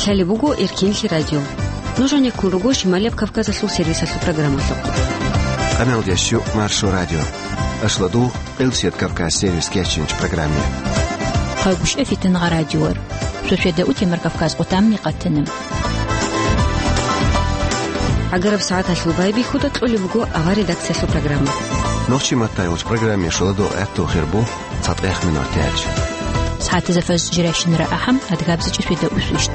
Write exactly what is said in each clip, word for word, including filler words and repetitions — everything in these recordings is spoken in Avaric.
Лъалеб буго Эркенлъи радио. Нуж гьанеккун руго Шималияб Кавказалъул сервисалъул программалъухъ. Къаналдящу Маршо радио. Ашладу Элсият Кавказ сервис кечинч программе. Къагушев Фитнагъа радиор. Шошеда утемар Кавказ къутамни къатана. ГӀагараб сагӀаталъул байбихьуда кьолеб буго авар редакциялъул программа. Нохчи маттайулч программе шуладо гӀатту хирбу цатӀех минутач. СагӀатазда фаз жиращинара ахӀам, адгабзичӀи шведа усвищт.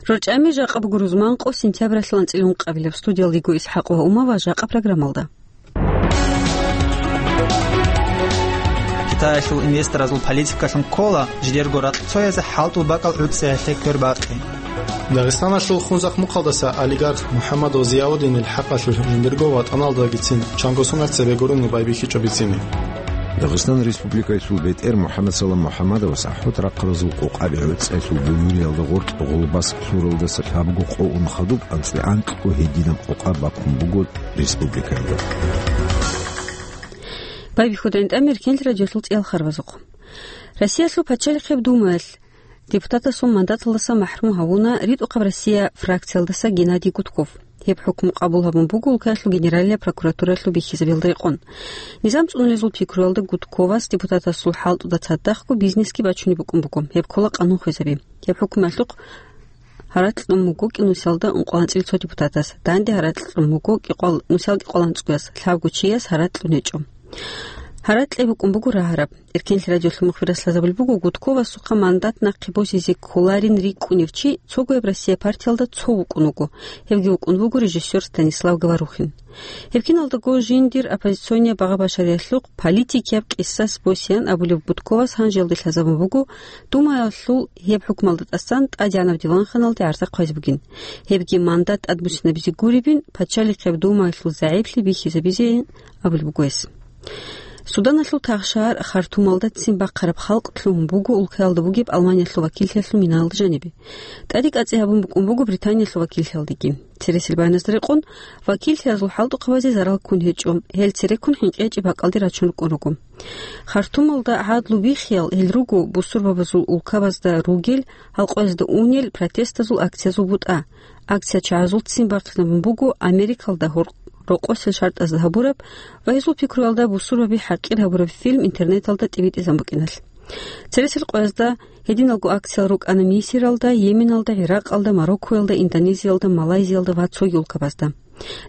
РорчӀами жакъа буго рузман къо сентябралъул анцӀила ункъабилеб. Студиялдего ИсхӀакъ ва Умава жакъа программалда. Китаялъул инвесторазул политикалъун ккола жидерго ракьцоязе хӀалтӀул бакӀал гӀуцӀиялъе квербакъи. Дагъистаналъул Хунзахъ мухъалдаса олигарх МухӀаммадов Зияуддинил хӀакъалъулъ жиндирго ватӀаналдагицин чанго сунат цебе гурони байбихьичӀо бицине. Дагъистан Республикаялъул бетӀер МухӀаммадсалам МухӀаммадовас АхӀут рахъалазул къокъаби гӀуцӀиялъул буюриялда гъоркь гъулбас лъуралдаса лъабго къо ун хадуб анцӀила анкьго гьединаб къокъа бакун буго республикаялда. Байбихьуда гӀинтӀам Эркенлъи радиолъул цӀиял харбазухъ. Россиялъул пачалихъеб Думаялъ депутатасул мандаталдаса махӀрум гьавуна ритӀухъаб Россия фракциялдаса Геннадий Гудков. Гьеб хӀукму къабул гьабун буго улкаялъул Генералияб прокуратуралъул бихьизабиялда рекъон. Низам цӀунулезул пикруялда Гудковас депутатасул хӀалтӀуда цадахъго бизнесги бачунеб букӀун буго, гьеб ккола къанун хвезаби. Гьеб хӀукмуялъухъ гьаракь кьун буго кӀинусиялда ункъоялда анцӀила цо депутатас, данде гьаракь кьун буго кӀикъоялда, нусиялда кӀикъоялда анцӀгояс, лъабго чияс гьаракь кьун гьечӀо. Гьаракь кьей букӀун буго рагьараб. Эркенлъи радиолъул мухбирас лъазабулеб буго, Гудковасухъа мандат нахъе босизе кколарин рикӀкӀунев чи цогояб Россия партиялда цо вукӀун вуго, гьевги вукӀун вуго режиссёр Станислав Говорухин. Гьеб киналдаго жиндир оппозиционияб багъа-башариялъухъ политикияб къисас босеян абулеб Гудковас гьанжелде лъазабун буго Думаялъул гьеб хӀукмалда тӀасан тӀадегӀанаб диванханалде гӀарза хъвазе бугин. Гьебги мандат тӀадбуссинабизе гуребин, пачалихъеб Думаялъул загӀиплъи бихьизабизейин абулеб буго гьес. Суданалъул тахшагьар Хартумалда ццин бахъараб халкъ лъугьун буго улкаялда бугеб Алманиялъул вакиллъиялъул минаялда жанибе. ТӀаде кӀацӀи гьабун букӀун буго Британиялъул вакиллъиялдеги. Цересел баяназда рекъон, вакиллъиязул хӀалтӀухъабазе зарал ккун гьечӀо, гьел цереккун хӀинкъи гьечӀеб бакӀалде рачун рукӀун руго. Хартумалда гӀадлу биххиял гьел руго бусурбабазул улкабазда ругел, гьал къоязда унел протестазул акциязул бутӀа. Акция чагӀазул ццин бахъинабун буго Америкалда гьор-, рокъосел шартӀазда гьабураб ва гьезул пикруялда бусурбаби хӀакъир гьабураб фильм интернеталда тӀибитӀизабун букӀиналъ. Цересел къоязда гьединалго акциял рукӀана Мисиралда, Йеменалда, ГӀиракъалда, Мароккоялда, Индонезиялда, Малайзиялда ва цоги улкабазда.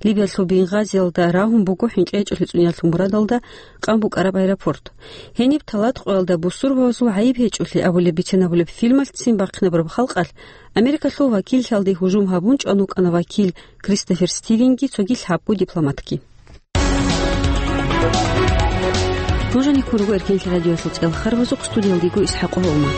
Либиялъул Бенгазиялда рагьун буго хӀинкъи гьечӀолъи цӀуниялъул мурадалда къан букӀараб аэропорт. Гьениб талат къоялда бусурбабазул гӀайиб гьечӀолъи абулеб бицен абулеб фильмалъ ццин бахъинабураб халкъалъ Америкалъул вакиллъиялде гьужум гьабун чӀван вукӀана вакил Кристофер Стивенги цоги лъабго дипломатги. Нуж гьанеккун руго Эркенлъи радиоялъул цӀиял харбазухъ, студиялда йиго ИсхӀакъ Гьолма.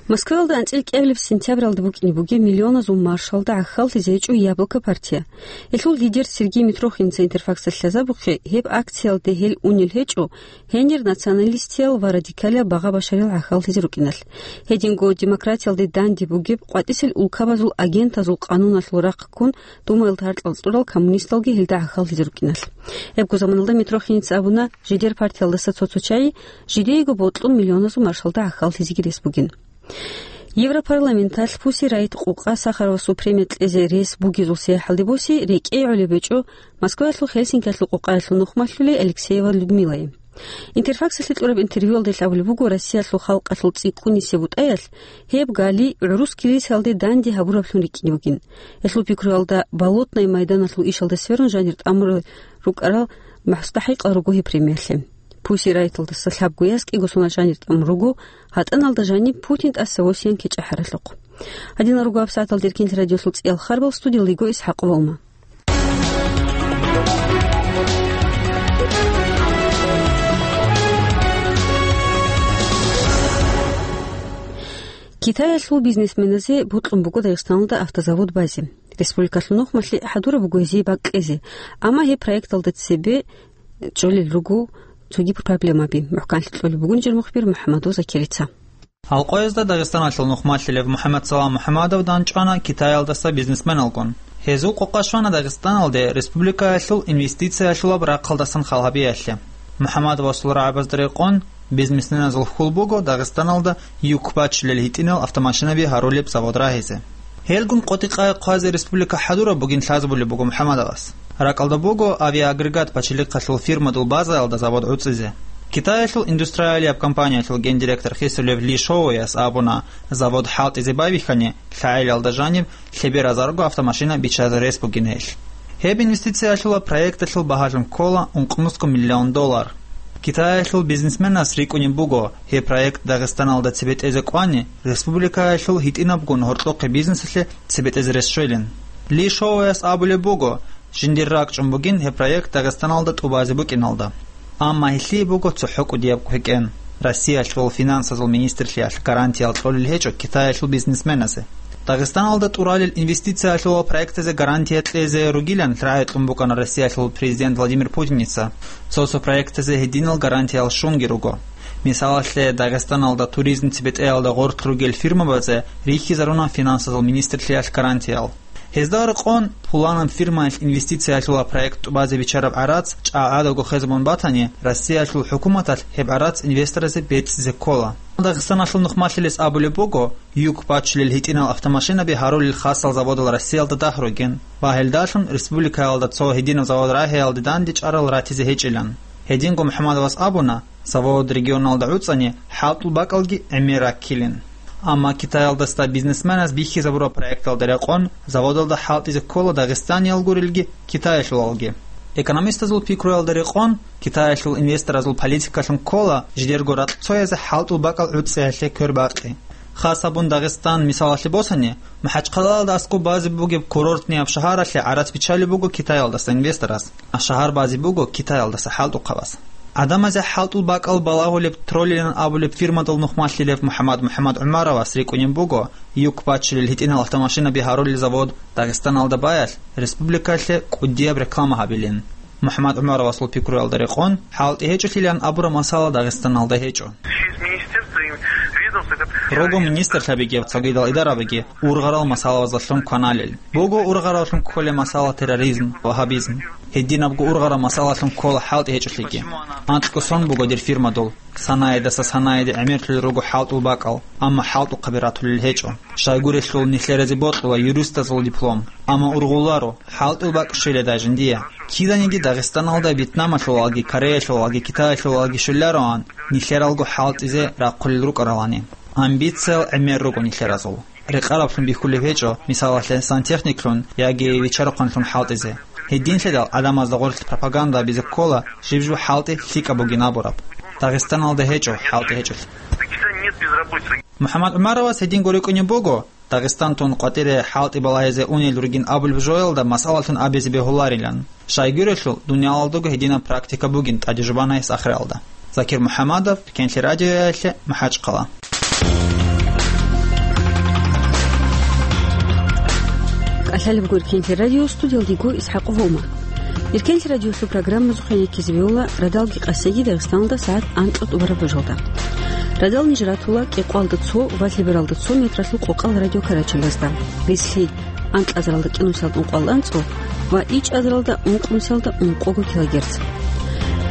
Москваялда анцӀила кӀиабилеб сентябралда букӀине бугеб миллионазул маршалда гӀахьаллъизе гьечӀо «Яблоко» партия. Гьелъул лидер Сергей Митрохинца Интерфаксалъ лъазабухъе, гьеб акциялде гьел унел гьечӀо, гьенир националистиял ва радикалиял багъа-башариял гӀахьаллъизе рукӀиналъ. Гьединго демократиялде данде бугеб къватӀисел улкабазул агентазул къануналъул рахъ ккун, Думаялда гьаркьал цӀурал коммунисталги гьелда гӀахьаллъизе рукӀиналъ. Гьебго заманалда Митрохиница абуна, жидер партиялдаса цо-цо чагӀи жидеего бокьун миллионазул маршалда гӀахьаллъизеги рес бугин. Европарламенталъ Пусси Райт къукъа Сахаровасул премия кьезе рес бугезул сияхӀалде боси рекӀее гӀолеб гьечӀо Москваялъул Хельсинкиялъул къукъаялъул нухмалъули Алексеева Людмилае. Интерфаксалъе кьураб интервьюялда гьел абулеб буго, Россиялъул халкъалъул цӀикӀкӀунисеб бутӀаялъ гьеб гали гӀурус килисаялде данде гьабураблъун рикӀкӀине бугин. Гьелъул пикруялда Болотное майданалъул ишалда сверун жанир тӀамурал рукӀарал мустахӀикъал руго гьеб премиялъе. Пусси Райталдаса лъабго яс кӀиго соналъ жанир тӀамун руго, гьатӀаналда жаниб Путин тӀаса восиян кечӀахӀаралъухъ. Гьадинал руго гьабсагӀаталда Эркенлъи радиолъул цӀиял харбал, студиялда йиго ИсхӀакъ Валма. Китаялъул бизнесменазе бокьун буго Дагъистаналда автозавод базе. Республикалъул нухмалъе хӀадураб буго гьезие бакӀ кьезе, амма гьеб проекталда цебе чӀолел руго цоги проблемаби. МухӀканлъи кьолеб бугин жер мухбир МухӀаммадов Закирица. Алкъоязда Дагъистаналъул нухмалъилев МухӀаммадсалам МухӀаммадов данчӀвана Китаялдаса бизнесменалгун. Гьезул къокъа щвана Дагъистаналде республикаялъул инвестициялъулаб рахъалдасан хал гьабиялъе. МухӀаммадовасул рагӀабазда рекъон, бизнесменазул хьул буго Дагъистаналда юк бачулел гьитӀинал автомашинаби гьарулеб завод рагьизе. Гьелгун къотӀи-къай хъвазе республика хӀадураб бугин лъазабулеб буго МухӀаммадовас. РакӀалда буго авиаагрегат бачилихъалъул фирмадул базаялда завод гӀуцӀизе. Китаялъул индустриалияб компаниялъул гендиректор хисулев Ли Шоуяс абуна, завод хӀалтӀизе байбихьани, лъагӀелиялда жаниб лъеберазарго автомашина биччазе рес бугин гьелъ. Гьеб инвестициялъула проекталъул багьалъун ккола ункънусго миллион доллар. Китаялъул бизнесменас рикӀкӀунеб буго, гьеб проект Дагъистаналда цебетӀезе кӀвани, республикаялъул гьитӀинабгун гьоркьохъе бизнесалъе цебетӀезе рес щвелин. Ли Шоуяс абулеб буго, жиндир ракӀчӀун бугин гьеб проект Дагъистаналда тӀубазе букӀиналда. Амма гьелъие буго цохӀо кӀудияб квекӀен. Россиялъул финансазул министрлъиялъ гарантиял кьолел гьечӀо Китаялъул бизнесменазе. Дагъистаналда тӀуралел инвестициялъул проектазе гарантия кьезе ругилан рагӀи кьун букӀана Россиялъул президент Владимир Путиница. Цо-цо проектазе гьединал гарантиял щунги руго. Мисалалъе, Дагъистаналда туризм цебетӀеялда гъорлъ ругел фирмабазе рихьизаруна финансазул министрлъиялъ гарантиял. Гьезда рекъон, пуланаб фирмаялъ инвестициялъула проект тӀубазе биччараб гӀарац чӀагӀадаго хезабун батани, Россиялъул хӀукуматалъ гьеб гӀарац инвесторазе бецӀизе ккола. Дагъистаналъул нухмалъилес абулеб буго, юк бачулел гьитӀинал автомашинаби гьарулел хасал заводал Россиялда дагь ругин ва гьелдалъун республикаялда цо гьединаб завод рагьиялде данде чӀарал ратизе гьечӀилан. Гьединго МухӀаммадовас абуна, завод регионалда гӀуцӀани, хӀалтӀул бакӀалги гӀемер раккилин. Амма Китаялдаса бизнесменаз бихьизабураб проекталда рекъон, заводалда хӀалтӀизе ккола дагъистаниял гурелги, китаялъулалги. Экономистазул пикруялда рекъон, Китаялъул инвесторазул политикалъун ккола жидерго ракьцоязе хӀалтӀул бакӀал гӀуцӀиялъе квер бакъи. Хас гьабун Дагъистан мисалалъе босани, МахӀачхъалаялда аскӀоб базе бугеб курортнияб шагьаралъе гӀарац биччалеб буго Китаялдаса инвесторас. Шагьар базе буго Китаялдаса хӀалтӀухъабаз. ГӀадамазе хӀалтӀул бакӀал балагьулеб Троллилан абулеб фирмадал нухмалъилев МухӀаммад МухӀаммад ГӀумаровас рикӀкӀунеб буго, юк бачулел гьитӀинал автомашинаби гьарулел завод Дагъистаналда баялъ, республикалъе кӀудияб реклама гьабилин. МухӀаммад ГӀумаровасул пикруялда рекъон, хӀалтӀи гьечӀолъилан абураб масала Дагъистаналда гьечӀо. Руго министрлъабиги цогидал идарабиги ургъарал масалаздалъун кваналел. Буго ургъараллъун кколеб масала терроризм, вагьабизм. Гьединабго ургъараб масалалъун ккола хӀалтӀи гьечӀолъиги. Анкьго сон буго дир фирмадул. Санаидаса санаиде гӀемерлъулел руго хӀалтӀул бакӀал, амма хӀалтӀухъаби ратулел гьечӀо. Щайгурелъул нилъеразе бокьула юристазул диплом, амма ургъуларо, хӀалтӀул бакӀ щвеледай жиндие. Киданиги Дагъистаналда Вьетнамалъулалги, Кореялъулалги, Китаялъулалги щвелароан, нилъералго хӀалтӀизе рахъулел рукӀаралани. Амбициял гӀемер руго нилъеразул. Рекъараблъун бихьулеб гьечӀо, мисалалъе, сантехниклъун яги виччарахъанлъун хӀалтӀизе. Гьединлъидал гӀадамазда гъорлъ пропаганда гьабизе ккола, жиб-жиб хӀалтӀи лъикӀаб бугин абураб. Дагъистаналда гьечӀо хӀалтӀи гьечӀолъи. МухӀаммад ГӀумаровас гьединго рикӀкӀунеб буго, Дагъистан тун къватӀире хӀалтӀи балагьизе унел ругин абулеб жоялда масъалалъун абизе бегьуларилан. Щайгурелъул, дуниялалдаго гьединаб практика бугин тӀаде жубана гьес ахиралда. Закир МухӀаммадов, Кенлъи радиоялъе, МахӀачхъала. КӀалъалеб гуркенлъи радио, студиялдего ИсхӀакъ Вома. Иркенлъи радиолъул программазухъе яккизе бегьула радалги къасиги Дагъистаналда сагӀат анкьа тӀубараб бажалда. Радал ниж ратула кӀикъоялда цо ва лъебералда цо метралъул къокъал радиокарачалазда. Бицлъи анкьазаралда кӀинусиялда ункъоялда анцӀго ва ичӀазаралда ункънусиялда ункъого килогерц.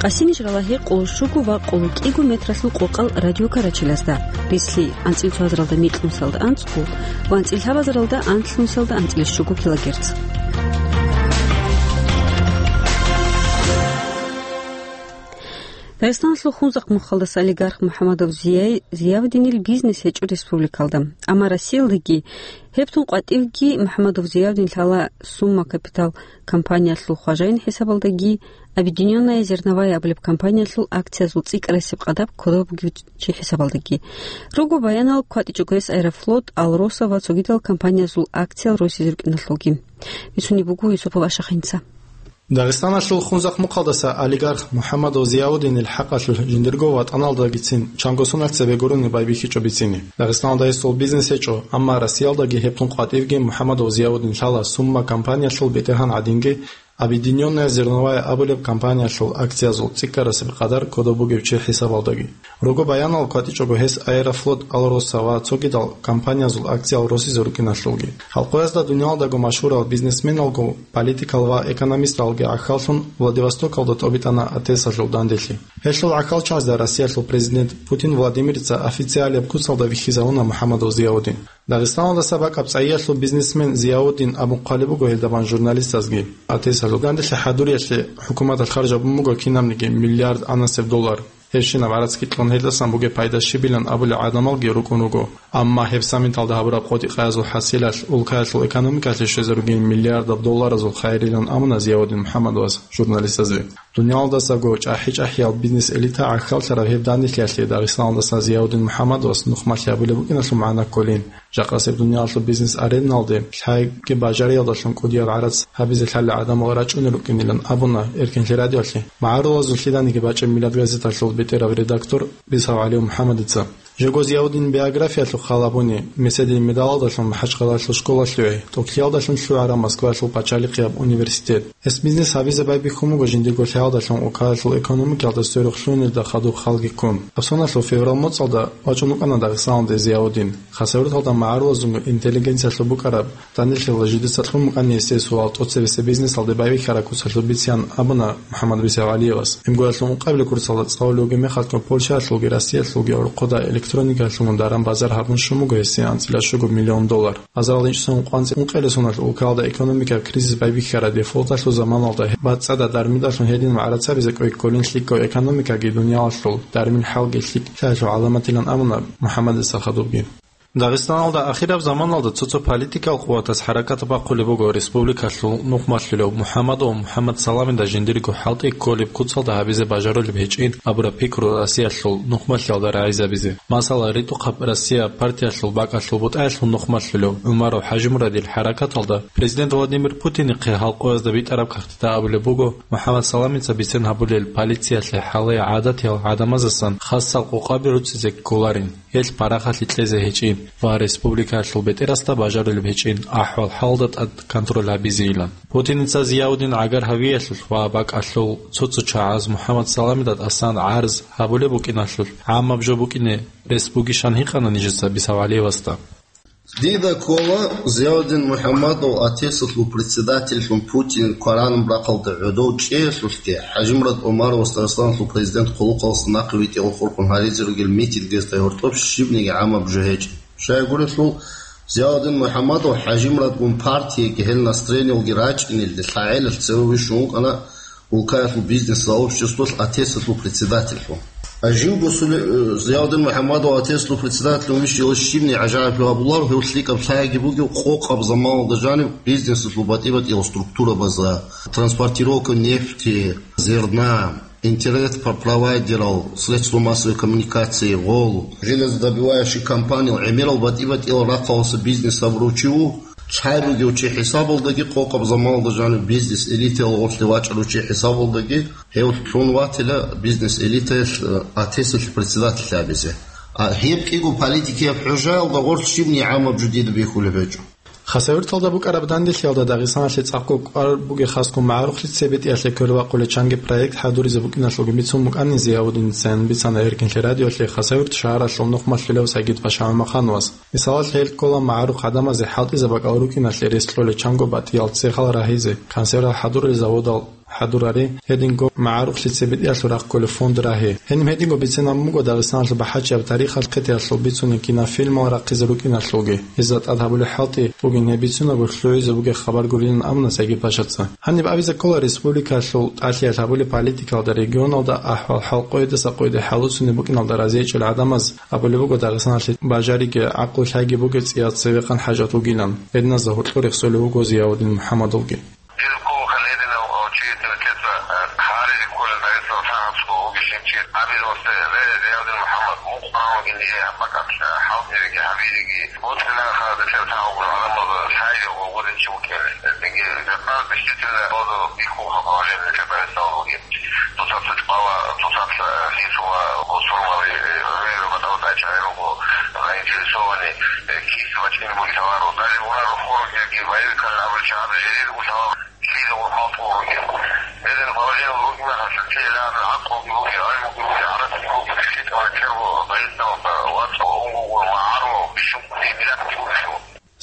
Къаси ниж ралагье къоло щуго ва къоло кӀиго метралъул къокъал радиокарачалазда. Бицлъи анцӀил цоазаралда микьнусиялда анцӀго ва анцӀил лъабазаралда анлънусиялда анцӀил щуго килогерц. Дагъистаналъул Хунзахъ мухъалдаса олигарх МухӀаммадов Зияй-, Зиявдинил бизнес гьечӀо республикалда. Амма Россиялдаги гьеб тун къватӀивги МухӀаммадов Зиявдин лъала Сумма Капитал компаниялъул хважаин хӀисабалдаги, Объединённая зерновая абулеб компаниялъул акциязул цӀикӀкӀарасеб къадаб кодоб бугев чи хӀисабалдаги. Руго баянал кватӀичӀого гьес Аэрофлот, Алроса ва цогидал компаниязул акциял росизе рукӀиналъулги. Бицунеб буго Юсупов Ашахинца. Дагъистаналъул Хунзахъ мухъалдаса олигарх МухӀаммадов Зияудинил хӀакъалъулъ жиндирго ватӀаналдагицин чанго соналъ цебе гурони байбихьичӀо бицине. Дагъистаналда гьесул бизнес гьечӀо, амма Россиялдаги гьеб тун къватӀивги МухӀаммадов Зияудин лъала Сумма компаниялъул бетӀергьан гӀадинги «Объединённая зерновая» абулеб компаниялъул акциязул цӀикӀкӀарасеб къадар кодоб бугев чи хӀисабалдаги. Руго баянал кватӀичӀого гьес «Аэрофлот» Алроса ва цогидал компаниязул акциял росизе рукӀиналъулги. Халкъоязда дуниялдаго машгьурал бизнесменалго, политикал ва экономисталги гӀахьаллъун Владивостокалда тӀобитӀана АТЭСалъул данделъи. Гьелъул гӀахьалчагӀазда Россиялъул президент Путин Владимирца официалияб куцалда вихьизавуна МухӀаммадов Зияудин. Дагъистаналдаса бакӀаб цӀайиялъул бизнесмен Зияудин абун хъвалеб буго гьелдабан журналистазги. АТЭСалъул данделъи хӀадуриялъе хӀукуматалъ харжабун буго кинабниги миллиард анасеб доллар. Гьебщинаб гӀарац кьун гьелдасан бугеб пайда щибилан абулел гӀадамалги рукӀун руго. Амма гьеб саммиталда гьабураб къотӀи-къаязул хӀасилалъ улкаялъул экономикалъе щвезарулгин миллиардаб долларазул хайрилан абуна Зияудин МухӀаммадовас журналистазде. Дуниялалдасаго чӀахӀи-чӀахӀиял бизнес-элита гӀахьаллъараб гьеб данделъиялъе Дагъистаналдаса Зияудин МухӀаммадовас нухмалъи гьабулеб букӀиналъул магӀна кколин. Жакъасеб дуниялалъул бизнес-аренналде лъайги бажариялдалъун кӀудияб гӀарац гьабизе лъалел гӀадамал рачӀунел рукӀинилан абуна Эркинлъи радиолъе магӀарулазул лъиданиги бачӀеб «Миллат» газеталъул бетӀерав редактор Бисав ГӀалиев МухӀаммадица. Жего Зияудин биографиялъухъ хал гьабуни, Меседин медалалдалъун МахӀачхъалаялъул школалъуве, тӀокӀлъиялдалъун лъугӀараб Москваялъул пачалихъияб университет. Гьес бизнес гьабизе байбихьун буго жиндирго лъаялдалъун улкаялъул экономикалда сверухъ лъугьунелда хадуб халги ккун. Гьаб соналъул феврал моцӀалда вачӀун вукӀана Дагъистаналде Зияудин. Хасавюрталда магӀарулазунго интеллигенциялъул букӀараб данделъиялда жидеца кьун букӀана гьесие суал тӀоцебесеб бизнесалде байбихьараб куцалъул бицин абуна МухӀаммад Бисав ГӀалиевас. Гьеб гурелъул ункъабилеб курсалда цӀалулевги мехалъго Польшаялъулги Россиялъулги гӀорхъода электроникаялъулгун даран-базар гьабун щун буго гьесие анцӀила щуго миллион доллар. Азарал ичӀсон къванцӀ ункъелесуналъ улкаялда экономикаб кризис байбихьараб дефолталъул заманалда бацӀцӀадаб дармидалъун гьедин магӀарацабизе кӀвей кколин лъикӀго экономикаги дуниялалъул дармил хӀалги лъикӀлъиялъул гӀаламатилан абуна МухӀаммадица хадубги. Дагъистаналда ахираб заманалда цо-цо политикал къуватаз хӀаракат бахъулеб буго республикалъул нухмалъулев МухӀаммадов МухӀаммад Саламида жиндирго хӀалтӀи кколеб куцалда гьабизе бажарулеб гьечӀин абураб пикру Россиялъул нухмалъиялда рагӀизабизе. Масала, РитӀухъаб Россия партиялъул бакӀалъул бутӀаялъул нухмалъулев ГӀумаров ХӀажимурадил хӀаракаталда президент Владимир Путинихъе халкъоязда битӀараб кагътида абулеб буго, МухӀаммад Саламица бицен гьабулел полициялъе хӀалае гӀадатиял гӀадамазасан хасал къокъаби руцӀизе кколарин, гьелъ парахалъи кьезе гьечӀин ва республикаялъул бетӀерасда бажарулеб гьечӀин ахӀвал-хӀалда тӀад контроль гьабизейилан. Путиница Зияудин гӀагар гьавиялъулъ ва бакӀалъул цо-цо чагӀаз МухӀаммад Саламида тӀасан гӀарз гьабулеб букӀиналъулъ гӀамаб жо букӀине рес бугищан гьикъана нижеца Бисав ГӀалиевасда. Дида ккола Зияудин МухӀаммадов АТЭСалъул председательлъун Путин кваранаб рахъалда гӀодов чӀеялъулъги, ХӀажимурад ГӀумаровас Дагъистаналъул президент хъулухъалъуса нахъе витӀиялъухъ гьаризе ругел митингазда гьоркьоб щибниги гӀамаб жо гьечӀеб. Щайгурелъул, Зияудин МухӀаммадов ХӀажимурадгун партияги гьел настроениялги рачӀинелде лъагӀелалъ цеве вищун вукӀана улкаялъул бизнес-сообществоялъ АТЭСалъул председательлъун. Живго Суле-, э, Зияудин МухӀаммадов АТЭСалъул председательлъун вищарав щибниги гӀажаиблъи гьабуларо, гьев лъикӀаб лъайги бугев къокъаб заманалда жанив бизнесалъул батӀи-батӀиял структурабазда, транспортировка нефти, зерна, интернет-провайдерал, средства массовой коммуникации, гъол, железодобывающий компаниял, гӀемерал батӀи-батӀиял рахъалъуса бизнес гьабурав чи вуго. Лъай бугев чи хӀисабалдаги, къокъаб заманалда жанив бизнес-элитаялъ гъорлъе вачӀарав чи хӀисабалдаги, гьев лъун ватила бизнес-элитаялъ, э, АТЭСалъ председатель гьабизе. А гьеб кӀиго политикияб хӀужаялда гъорлъ щибниги гӀамаб жо дида бихьулеб гьечӀо. Хасавюрталда букӀараб данделъиялда Дагъистаналъе цӀакъго кӀвар бугеб хасго магӀарухълъи цебетӀиялъе квербакъулел чанги проект хӀадуризе букӀиналъулги бицун букӀанин Зияудиница, бицана Эркинлъи радиолъе Хасавюрт шагьаралъул нухмалъулев Сагид-паша ГӀумахановас. Мисалалъе, гьел ккола магӀарухъ гӀадамазе хӀалтӀизаб бакӀал рукӀиналъе рес кьолел чанго батӀиял цехал рагьизе, консервал хӀадуралел заводал хӀадурари, гьединго магӀарухълъи цебетӀиялъул рахъ кколеб фонд рагьи. Гьениб гьединго бицинаб буго Дагъистаналъул бахӀарчияб тарихалъ хъетиялъул бицунеб кинофильмал рахъизе рукӀиналъулги. Гьезда тӀад гьабулеб хӀалтӀи бугин гьеб бицунебго лъугӀизе бугеб хабар гурилан абуна Сагид-пашаца. Гьаниб абизе ккола республикалъул тӀалъиялъ гьабулеб политикалда регионалда ахӀвал-хӀал къоясда къояде хӀалуцунеб букӀиналда разиячӀел гӀадамаз абулеб буго Дагъистаналъе бажариги гӀакълу-лъайги бугеб цӀиял цевехъан хӀажат вугилан. Гьединазда гьоркьор рехсолев вуго Зияудин МухӀаммадовги. Дир кколаха лединав чи тӀерцеца, э, гьаризе кколел Дагъистан сагӀатго вугищинчи абизе васте, ле, Зиявдин МухӀаммад, мун къваран вугин дие гьаб бакӀалъ, э, хӀалтӀиреги гьабиреги. БоцӀи нахъа децер сагӀа гӀадамаз лъайги гъодинчи вукӀин. Цинги жакъа действительно боду бихьулха гьавалел нилъер Дагъистан вугин. Цоцаца чӀвала, цоцаца хисула, бусурмали, э, гӀемерал батӀал тӀачӀайрого, заинтересованный, э, кис вачӀин бугилъаваро. Даже урару хорги боевикал абулчи гьаб жерир гулъавал.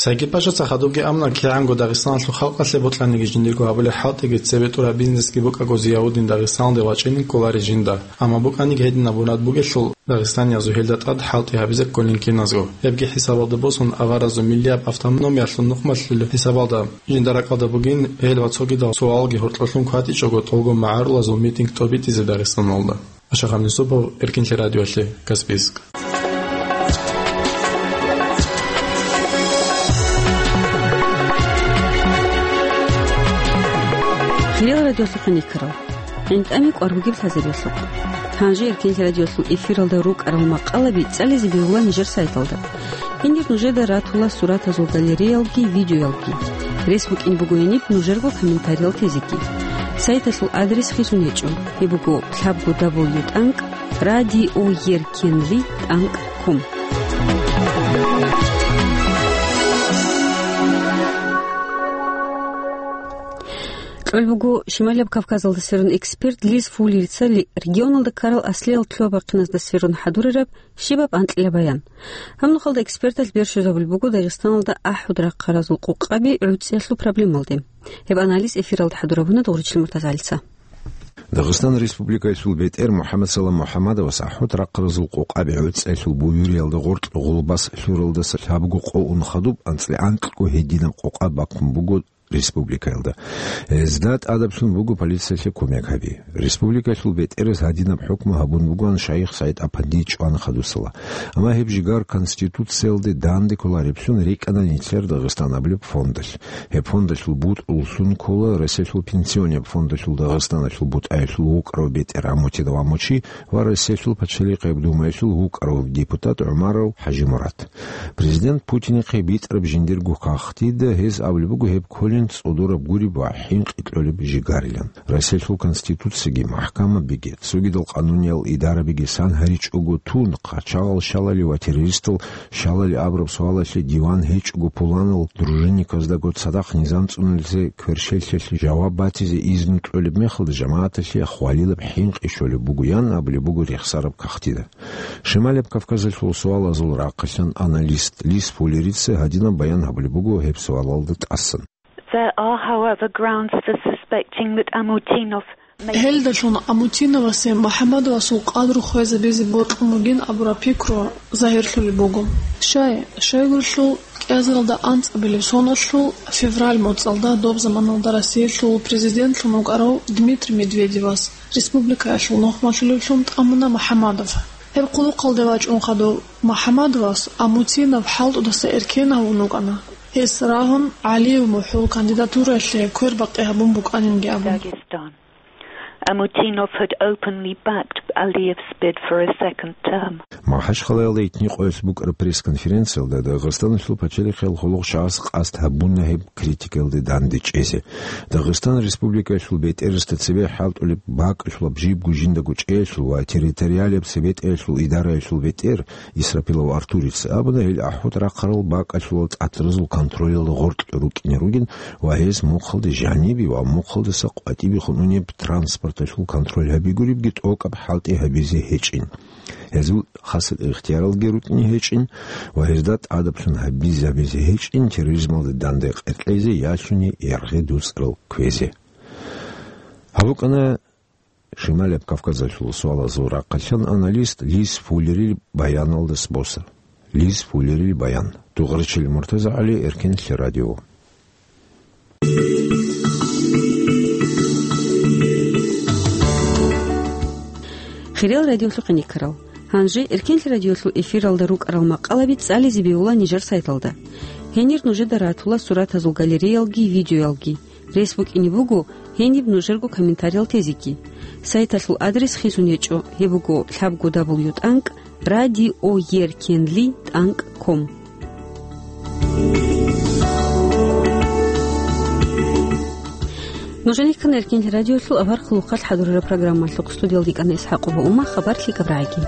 Сайги-Пашаца хадубги амна кигӀанго Дагъистаналъул халкъалъе бокьаниги жиндирго гьабулеб хӀалтӀиги цебетӀураб бизнесги букӀаго Зияудин Дагъистаналде вачӀине кколарищ жинда, амма букӀаниги гьединаб мурад бугелъул, дагъистаниязул гьелда тӀад хӀалтӀи гьабизе кколин киназго. Гьебги хӀисабалда босун, аваразул миллияб автономиялъул нухмалъулеб хӀисабалда жинда ракӀалда бугин гьел ва цогидал суалги гьоркьолъун кватӀичӀого тӀолго магӀарулазул митинг тӀобитӀизе Дагъистаналда. Ашахъан Юсупов, Эркинлъи радиолъе, Каспийск. Хириял радиолъухъе никарал. ГӀинтӀами кӀвар бугеб лъазарелъухъ. Гьанже Эркинлъи радиолъул эфиралда рукӀарал макъалаби цӀализе бегьула нижер сайталда. Гьенир нужеда ратула суратазул галереялги, видеоялги. Рес букӀин буго гьениб нужерго комментариял тезеги. Сайталъул адрес хисун гьечӀо. Гьеб буго лъабго дабл ю тӀанкӀ радиоеркенли тӀанкӀ ком. Кьолеб буго Шималияб Кавказалда сверун эксперт Лиз Фуллерица ли-, регионалда ккарал аслиял лъугьа-бахъиназда сверун хӀадурараб щибаб анкьила баян. Гьаб нухалда эксперталъ бержизабулеб буго Дагъистаналда ахӀуд рахъаразул къокъаби гӀуцӀиялъул проблемалде. Гьеб анализ эфиралда хӀадурабуна Дугъричил МуртазагӀалица. Дагъистан Республикаялъул бетӀер МухӀаммадсалам МухӀаммадовас ахӀуд рахъаразул къокъаби гӀуцӀиялъул буюриялда гъоркь гъулбас лъуралдаса лъабго къо ун хадуб анцӀила анкьго гьединаб къокъа бакун буго республикаялда. Гьезда тӀадаблъун буго полициялъе кумек гьаби. Республикалъул бетӀерас гьадинаб хӀукму гьабун бугоан шайих СагӀид-апанди чӀван хадусала. Амма гьеб жигар Конституциялде данде кколареблъун рикӀкӀана нилъер Дагъистан абулеб фондалъ. Гьеб фондалъул бутӀруллъун ккола Россиялъул пенсионияб фондалъул Дагъистаналъул бутӀаялъул вукӀарав бетӀер Амутинов Амучи ва Россиялъул Пачалихъияб Думаялъул вукӀарав депутат ГӀумаров ХӀажимурад. Президент Путинихъе битӀараб жиндирго кагътида гьез абулеб буго гьеб кколин цӀодораб гуреб ва хӀинкъи кьолеб жигарилан. Россиялъул Конституциги, махӀкамабиги, цогидал къануниял идарабиги сан гьаричӀого тун, къачагъал щалали ва террористал щалали абураб суалалъе диван гьечӀого пуланал дружинниказдаго цадахъ низам цӀунулезе кверщелъалъе жаваб батизе изну кьолеб мехалда жамагӀаталъе хвалилаб хӀинкъи щолеб бугоян абулеб буго рехсараб кагътида. Шималияб Кавказалъул суалазул рахъалъан аналист Лиз Фуллерица гьадинаб баян гьабулеб буго гьеб суалалда тӀасан. There are, however, grounds for suspecting that Amutinov may Гьелдалъун Амутиновасе МухӀаммадовасул къадру хвезабизе бокьун бугин абураб пикру загьирлъулеб буго. Щай, щайгурелъул кӀиазаралда анцӀабилеб соналъул февраль моцӀалда доб заманалда Россиялъул президентлъун вукӀарав Дмитрий Медведевас республикаялъул нухмалъулевлъун тӀамуна МухӀаммадов. Гьеб хъулухъалде вачӀун хадув МухӀаммадовас Амутинов хӀалтӀудаса эркен гьавун вукӀана. Гьес рагьун, ГӀалиев МухӀул кандидатураялъе квербакъи гьабун букӀанинги абун. Dagestan. Amutinov had openly backed Aliev's bid for a second term. МахӀачхъалаялда итни къоялъ букӀараб пресс-конференциялда Дагъистаналъул пачалихъиял хъулухъчагӀаз къасд гьабуна гьеб критикаялде дандечӀезе. Дагъистан Республикаялъул бетӀерасда цебе хӀалтӀулеб бакӀалъулаб жибго жиндаго чӀеялъул ва территориалияб цебетӀеялъул идараялъул бетӀер Исрапилов Артурица абуна гьел ахӀуд рахъарал бакӀалъулал тӀатразул контролялда гъоркье рукӀине ругин ва гьез мухъалде жанибе ва мухъалдаса къватӀибехун унеб транспорталъул контроль гьабигуребги тӀокӀаб хӀалтӀи гьабизе гьечӀин. Гьезул хасаб ихтияралги рукӀине гьечӀин ва гьезда тӀадаблъун гьабизе-гьабизе гьечӀин терроризмалда данде къеркьезе ялъуни яргъи дуцӀрал кквезе. Гьаб букӀана Шималияб Кавказалъул суалазул рахъалъан аналист Лиз Фуллерил баяналдас босар. Лиз Фуллерил баян. Дугъричил МуртазагӀали, Эркинлъи радио. Хириял радиолъухъе никарал. Гьанже Эркинлъи радиолъул эфиралда рукӀарал макъалаби цӀализе бегьула нижер сайталда. Гьенир нужеда ратула суратазул галереялги, видеоялги. Рес букӀине буго гьениб нужерго комментариял тезеги. Сайталъул адрес хисун гьечӀо, гьеб буго лъабго дабл ю тӀанкӀ радиоеркенли тӀанкӀ ком. Нужениккан Эркинлъи радиолъул авархъ лухъалъ хӀадурараб программалъухъ. Студиялда йикӀана ИсхӀакъова Ума, хабар лъикӀаб рагӀиги.